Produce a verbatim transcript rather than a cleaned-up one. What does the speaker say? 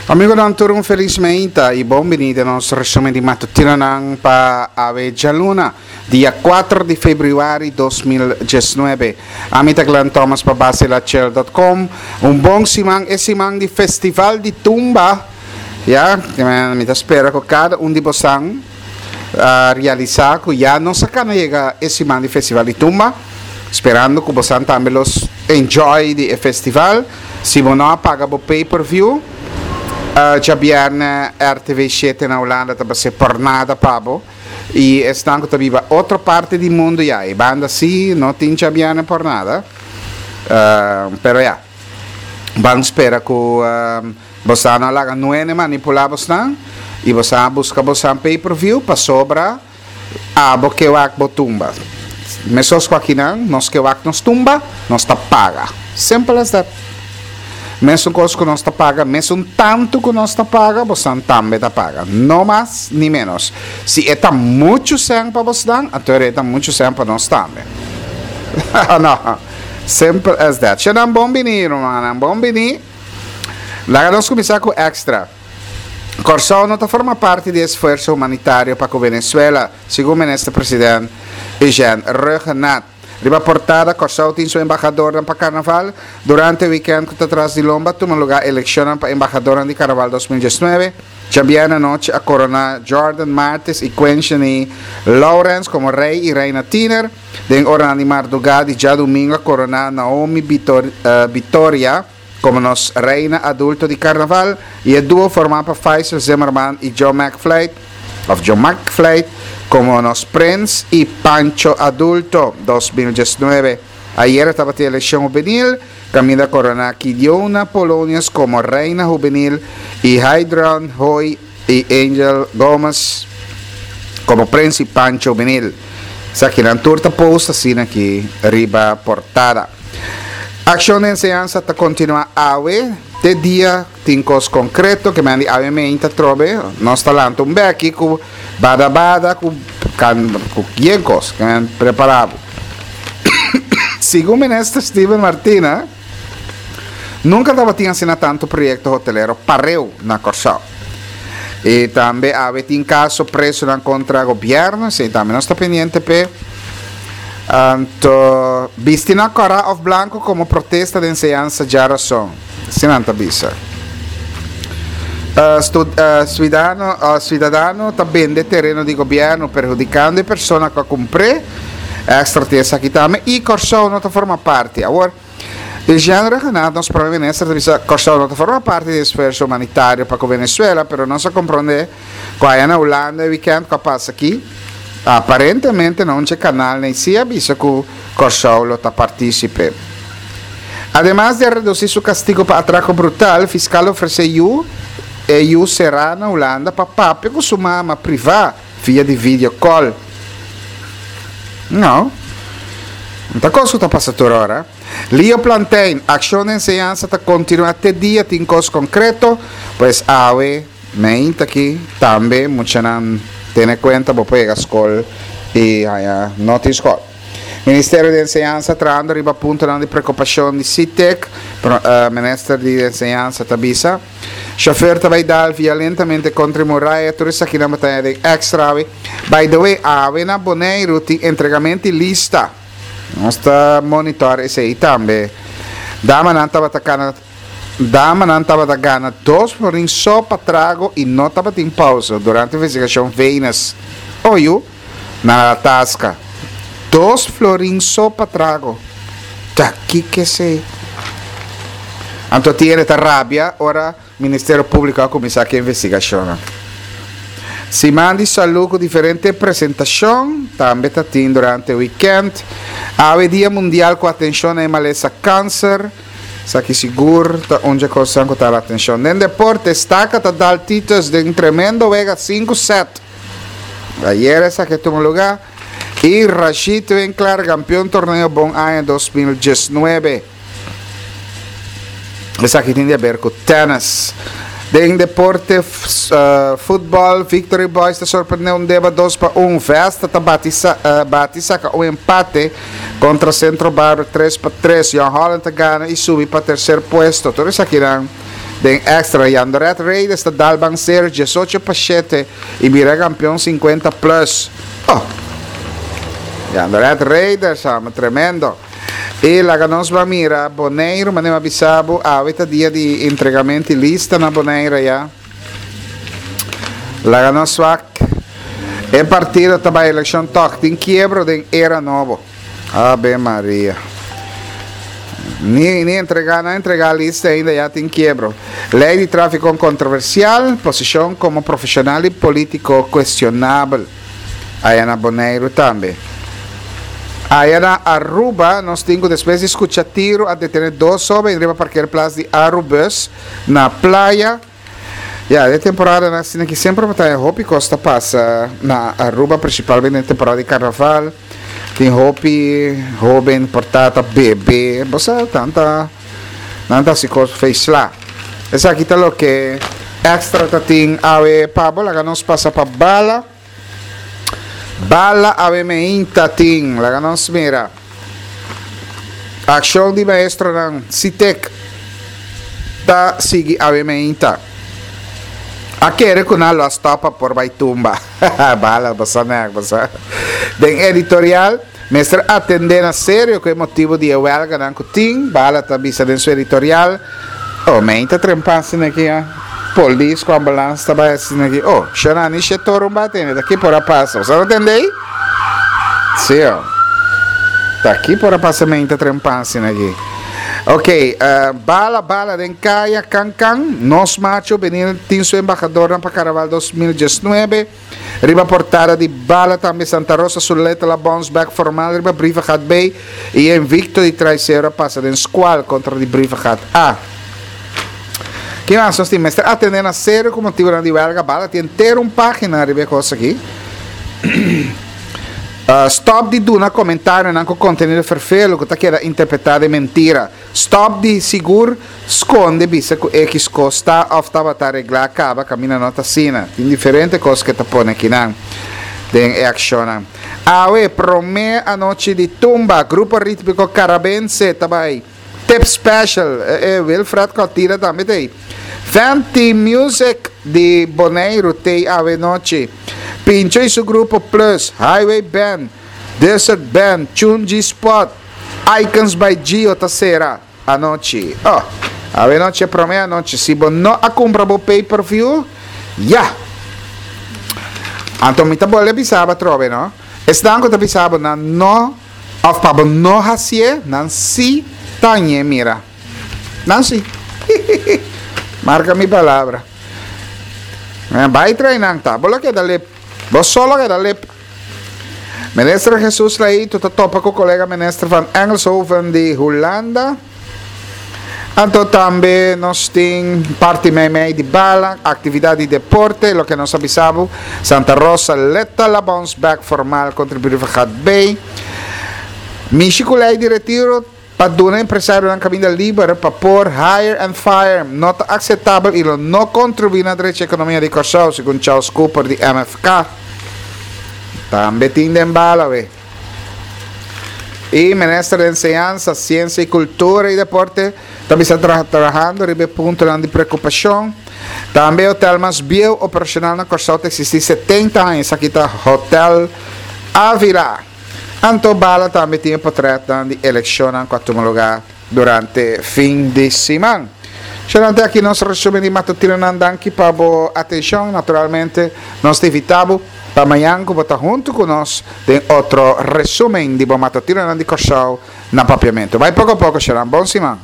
Amigonan tur un felis meinta y bon bini den nos resumen di matutinonan pa awe djaluna, dia kuater di februari dos mil diesnuebe. Ami ta Glenn Thomas pa Basilachel dot com. Un bon siman, e siman di Festival di Tumba. Ya, mi ta spera cu cada un di bosan a realisa cu ya nos a cana yega e siman di Festival di Tumba, sperando cu bosan tambe los enjoy di e festival. Si bo no a paga bo pay per view, djabièrnè R T V shete na Hulanda ta bas'é por nada pa bo. I esnan ku ta biba otro parti di mundu ya, e banda si no tin djabièrnè por nada. Pero ya, ban spera ku bosan no a laga nuene manipulá bosnan i bosan a buska bosan pay per view pasobra abo ke wak bo tumba. Mesos ku akinan, nos ke wak nos tumba, nos ta paga. Simple as that. Mesun kos ku nos ta paga, mesun tantu ku nos ta paga, bosan tambe ta paga. No mas ni menos. Si e ta muchu sèn pa bosnan, anto e ta muchu sèn pa nos tambe. No. Simple as that. Shenan bon bini, rumannan. Bon bini. Laga nos kuminsá ku Extra. Kòrsou no ta forma parti di esfuerso humanitario pa ku Venezuela, segun Minister President Eugène Rhuggenaath. Riba portada, Kòrsou tin su embahadornan pa Karnaval. Durante e wikènt ku ta tras di lomba tuma lugá elekshonnan pa embahadornan di Karnaval dos mil diesnuebe. Djabièrnè anochi a koroná Jordan Martis i Quenchany Lawrence komo rei i reina tiner. Den oranan di mardugá di djadumingu a koroná Naomi Vitoria komo nos reina adulto di Karnaval i e duo formá pa Faisal Zimmerman i Joe McFlight, of Joe McFlight, komo nos prins i Pancho adulto dos mil diesnuebe. Ayera tabatin elekshon hubenil, kaminda koroná Kidiona Polonius komo reina hubenil i Hydron Hoy i Angel Gomez komo prins i Pancho hubenil. Esakinan tur ta post asina aki riba portada. Akshon di enseñansa ta kontinuá awe te dia tin kos konkreto ke men di awe meinta trobe nos ta lanta un beki ku bada bada ku kan ku yen kos ke men prepará bo. Segun Minister Steven Martina nunka tabatin asina tantu proyekto hotelero pareu na Kòrsou. I tambe awe tin kaso presonan kontra gobièrnu, esei tambe nos ta pendiente p'e. Anto bisti na kòrá òf blanku komo protesta den enseñansa djarason, asina nan ta bisa. Suidadano ta bende tereno di gobièrnu perhudikando e persona ku a kumpr'é, Extra tin esaki tambe, i Kòrsou no ta forma parti. Awor, Eugène Rhuggenaath, nos prome minister, ta bisa Kòrsou no ta forma parti di esfuerso humanitario pa ku Venezuela, pero nos a komprondé ku aya na Hulanda e wikènt ku a pasa aki, aparentemente na un dje kanalnan i si a bisa ku Kòrsou lo ta partísipe. Ademas di a redusí su kastigu pa atrako brutal, fiskal ofresé yu e yu será na Hulanda pa papia ku su mama privá via di video call. No. No ta kos ku ta pasa tur ora. Leo Plantijn, Akshon di enseñansa ta kontinuá te dia tin kos konkreto, pues awe meinta aki tambe muchanan tene kuenta bo por yega skol i haña no tin skol. Ministerio di Enseñansa trahando riba puntonan di preokupashon di SITEK, Minister di Enseñansa ta bisa. Chauffeur ta bay dal violentamente contra e muraya, tur esakinan bo ta haña den extra awe. By the way, awe na Boneiru tin entregamento di lista. Nos ta monitor esey tambe. Damanan tabata cana Damanan tabata gana dos florin so pa trago y no tabatin pausa durante investigacion Venus. Oyu, nan a tasca. Dos florin so pa trago. Ta kiko esei? Anto Tiene ta rabia ora Ministerio Públiko a kuminsá ku e investigashonnan. Siman di Salú ku diferente presentashon tambe ta tin durante wikènt. Awe Dia Mundial ku atenshon na e malesa kanser. Esaki sigur ta un dje kosnan ku ta hala atenshon. Den deporte, Staka ta dal Titus den tremendo wega sinku sèt. Ayer esaki a tuma lugá. I Rashid Winklaar kampion torneo Bon Aña dos mil diesnuebe. Esaki tin di haber ku tennis. Den deporte futbòl, Victory Boys ta sorprende un deba dos pa un. Vesta ta bati bati saka un empate kontra Centro Barber tres pa tres. Jong Holland ta gana i subi pa terser puesto. Tur esakinan Den Extra, Jandoret Raiders ta dal Ban Serio diesocho pa shete i bira kampeon sinkuenta plus. Oh! Jandoret Raiders, amo tremendo. I laga nos ban mira Boneiru, manera mi a bisa bo, awe ta dia di entregamento di lista na Bonaire ya. Laga nos wak. E partido ta bai elekshon tòg tin kiebro den era nobo. Ave Maria. Ni, ni entregá, no a entregá lista ainda, ya tin kiebro. Lei di tráfiko kontroversial, posishon komo profeshonal i polítiko kuestionabel. Aya na Boneiru tambe. Aya na Aruba nos tin ku despues di skucha tiru a detené dos hóben riba parkeerplaats di Arubus na Playa. Ya, den temporadanan asina ki semper bo ta haña hopi kos ta pasa na Aruba, principalmente den temporada di carnaval. Tin hopi hoben por ta ta bebe, bo sa, nan ta nan ta hasi kos feisla. Esaki ta loke Extra ta tin awe pa bo. Laga nos pasa pa Bala. Bala awe meinta tin, laga nos mira. Akshon di maestronan Sitek ta sigui awe meinta. A kere ku nan lo a stòp pa por bai tumba. Bala, bo sa nèk, bo sa. Den editorial, mester atendé na serio ku e motibu di e wèlganan ku tin, Bala ta bisa den su editorial. Oh, meinta trempa asina aki ya. Polis ku ambulans ta bai asina aki. Oh, shona ni she toro un bati ene, ta ki por a pasa? Bo sa no tende ei? Sí, oh. Ta ki por a pasa meinta trempa asina aki? Ok, uh, bala bala den kaya kan kan. Nos macho Benil tin su embahadornan pa Carnaval dos mil diesnuebe. Riba portada di Bala tambe Santa Rosa su letra la bounce back formal riba Brievengat B y e invicto di Traicero a pasa den squal contra di Brievengat A. Ki mas nos tin? Mester atende na serio cu motibonan di welga. Bala tin entero un pagina riba e cos aki. Uh, stop di duna comentarionan cu contenido ferfelo cu ta keda interpreta den mentira. Stop di sigur sconde bisa cu X cos ta of tabata regla caba caminda no ta asina. Tin diferente cos cu ta pone akinan den e accionnan. Awe, prome anochi di tumba, Grupo Ritmico Carabense ta bay. Tip Special, e, e Wilfred Cotira tambe t'ey. Fenty Music di Boneiru t'ey awe nochi. Pincho y su grupo Plus, Highway Band, Desert Band, Chunji Spot, Icons by Gio ta cera anochi. Oh, awe nochi e prome anochi. Si bo no a cumpra bo pay per view, ya! Anto mi ta bolbe bisa bo atrobe, no? Esnan cu ta bisa bo nan no of pa bo no hacié, nan si ta ñe mira. Nan si. Marca mi palabra. Bai trae nan ta. Bo lo keda lep. Bo so lo keda lep. Minister Jesus Leito ta topa cu colega minister van Engelshoven di Hulanda. Anto tambe nos tin parti meimei di bala, actividad di deporte, loke nos a bisa bo, Santa Rosa leta la bounce back formal contra Brievengat Bay. Mishi cu ley di retiro pa duna empresarionan caminda liber pa por hire and fire no ta aceptabel y lo no contribui na drecha economia di Corsou, segun Charles Cooper di M F K. Tambe tin den Bala we. E minister di Enseñansa, Siensia i Kultura i Deporte ta bisa tra trahando riba e puntonan di preokupashon. Tambe e hotel mas bieu operashonal na Kòrsou ta eksistí setenta aña, esaki ta Hotel Avila. Anto Bala tambe tin e potrètnan di elekshonnan ku a tuma lugá durante fin di siman. Xerante aki nos resumen di matutinonan. Danki pa bo atenshon. Naturalmente nos ta invitá bo pa mañan ku bo ta huntu ku nos den otro resumen di bo matutinonan di Kòrsou na Papiamentu. Bai poko poko, Xeran. Bon siman.